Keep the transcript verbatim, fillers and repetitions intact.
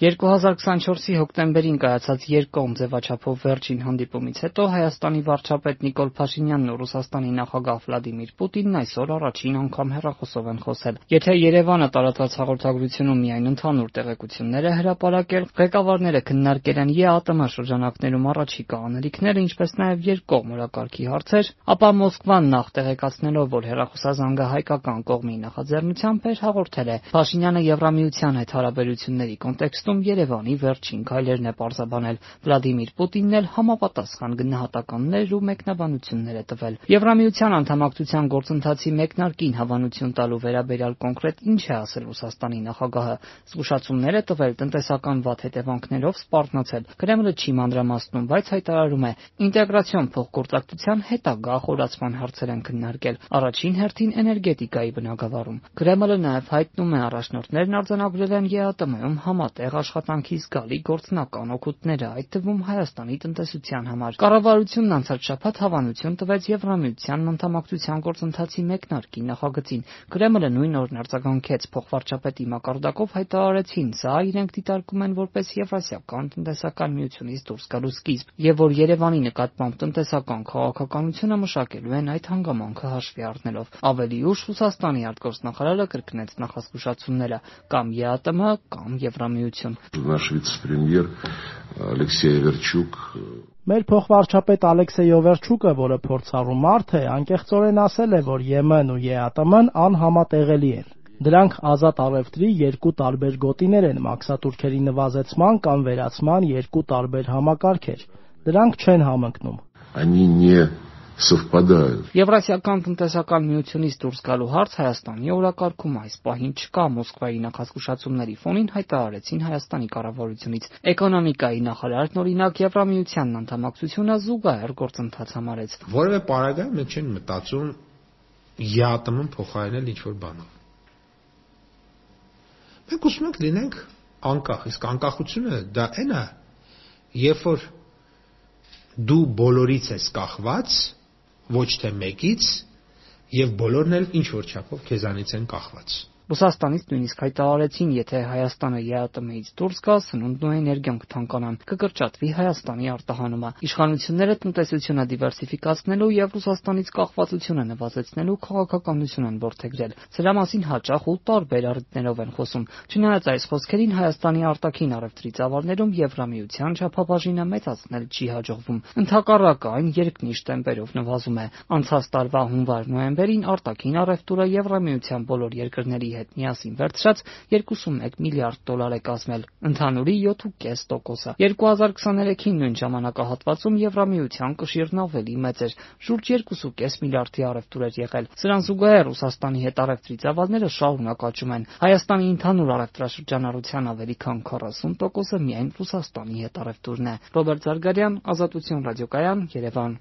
երկու հազար քսանչորսի հոկտեմբերին կայացած երկկողմ ձևաչափով վերջին հանդիպումից հետո Հայաստանի վարչապետ Նիկոլ Փաշինյանն ու Ռուսաստանի նախագահ Վլադիմիր Պուտինն այսօր առաջին անգամ հեռախոսով են խոսել։ Եթե Երևանը տարածած հաղորդագրությունում միայն ընդհանուր տեղեկություններ է հրապարակել, ղեկավարները քննարկել են ԵԱՏՄ շրջանակներում առաջիկա անելիքները, ինչպես նաև երկկողմ օրակարգի հարցեր, ապա Մոսկվան նախ տեղեկացնելով, որ հեռախոսազանգը հայկական կողմի նախաձեռնությամբ էր, հաղորդել է. Փաշինյանը Եվրամիության հետ հարաբերությունների կոնտեքստում Երևանի վերջին քայլերն է պարզաբանել։ Վլադիմիր Պուտինն էլ համապատասխան գնահատականներ ու մեկնաբանություններ է տվել։ Եվրամիության անդամակցության գործընթացի մեկնարկին հավանություն տալու վերաբերյալ կոնկրետ ինչ է ասել Ռուսաստանի նախագահը, զգուշացումներ է տվել տնտեսական վատ հետևանքներով սպառնացել։ Կրեմլը չի մանրամասնում, բայց հայտարարում է, ինտեգրացիոն փոխգործակցության հետագա խորացման հարցեր են քննարկել, առաջին հերթին էներգետիկայի բնագավառում։ Կրեմլը նաև հայտնում է, առաջնորդներն արձանագրել են ԵԱՏՄ-ում համատեղ աշխատանքի զգալի գործնական օգուտները, այդ թվում Հայաստանի տնտեսության համար։ Կառավարությունն անցած շաբաթ հավանություն տվեց Եվրամիության անդամակցության գործընթացի մեկնարկի նախագծին։ Կրեմլը նույն օրն արձագանքեց փոխվարչապետի մակարդակով հայտարարեցին, սա իրենք դիտարկում են որպես Եվրասիական տնտեսական միությունից դուրս գալու սկիզբ, եւ որ Երևանի նկատմամբ տնտեսական քաղաքականությունը մշակելու են այդ հանգամանքը հաշվի առնելով։ Ավելի ուշ Ռուսաստանի արտգործնախարարը կրկնեց նախազգուշացումները՝ կամ ԵԱՏՄ, կամ Եվրամիություն։ Նаш վիցե-պրեմիեր Ալեքսեյ Էվերչուկ Մեր փոխվարչապետ Ալեքսեյ Օվերչուկը, որը փորձառու մարդ է, անկեղծորեն ասել է, որ ԵՄ-ն ու ԵԱՏՄ-ն անհամատեղելի են։ Դրանք ազատ առևտրի երկու տարբեր գոտիներ են, մաքսատուրքերի նվազեցման կամ վերացման երկու տարբեր համակարգեր։ Դրանք չեն համընկնում։ Они не совпадают. Եվրասիական տնտեսական միությունից դուրս գալու հարց Հայաստանի օրակարգում այս պահին չկա, Մոսկվայի նախազգուշացումների ֆոնին հայտարարեցին Հայաստանի կառավարությունից։ Էկոնոմիկայի նախարարն օրինակ Եվրամիությանն անդամակցությունը զուգահեռ գործընթաց համարեց։ Որևէ պարագայում մենք չենք մտածում ԵԱՏՄ-ն փոխարինել ինչ-որ բանով։ Մենք ուզում ենք լինենք անկախ, իսկ անկախությունը դա այն է, երբ որ դու բոլորից ես կախված, ոչ թե մեկից, եւ բոլորն էլ ինչ որ չափով քեզանից են կախված։ Ռուսաստանից նույնիսկ հայտարարեցին, եթե Հայաստանը ԵԱՏՄ-ից դուրս գա, սնունդն ու էներգիան կթանկանան, կկրճատվի Հայաստանի արտահանումը։ Իշխանությունները տնտեսությունը դիվերսիֆիկացնելու եւ Ռուսաստանից կախվածությունը նվազեցնելու քաղաքականություն են որդեգրել։ Սրա մասին հաճախ ու տարբեր առիթներով են խոսում։ Չնայած այս խոսքերին Հայաստանի արտաքին առևտրի ծավալներում Եվրամիության չափաբաժինը մեծացնել չի հաջողվում։ Ընդհակառակը այն երկնիշ տեմպերով նվազում է։ Անցած տարվա հունվար-նոյեմբերին արտաքին առևտուրը Եվրամիության բոլոր երկրների հետ միասին վերցրած երկուսունմեկ միլիարդ դոլար է կազմել, ընդհանուրի յոթ կόμμα պենս տոկոսը։ երկու հազար քսաներեքին նույն ժամանակահատվածում Եվրամիության կշիռն ավելի մեծ էր, շուրջ երկու կόμμα պենս միլիարդի առևտուր էր եղել։ Սրան զուգահեռ Ռուսաստանի հետ առևտրի ծավալները շարունակ աճում են։ Հայաստանի ընդհանուր առևտրաշրջանառության ավելի քան քառասուն տոկոսը միայն Ռուսաստանի հետ առևտուրն է։ Ռոբերտ Զարգարյան, Ազատություն ռադիոկայան, Երևան։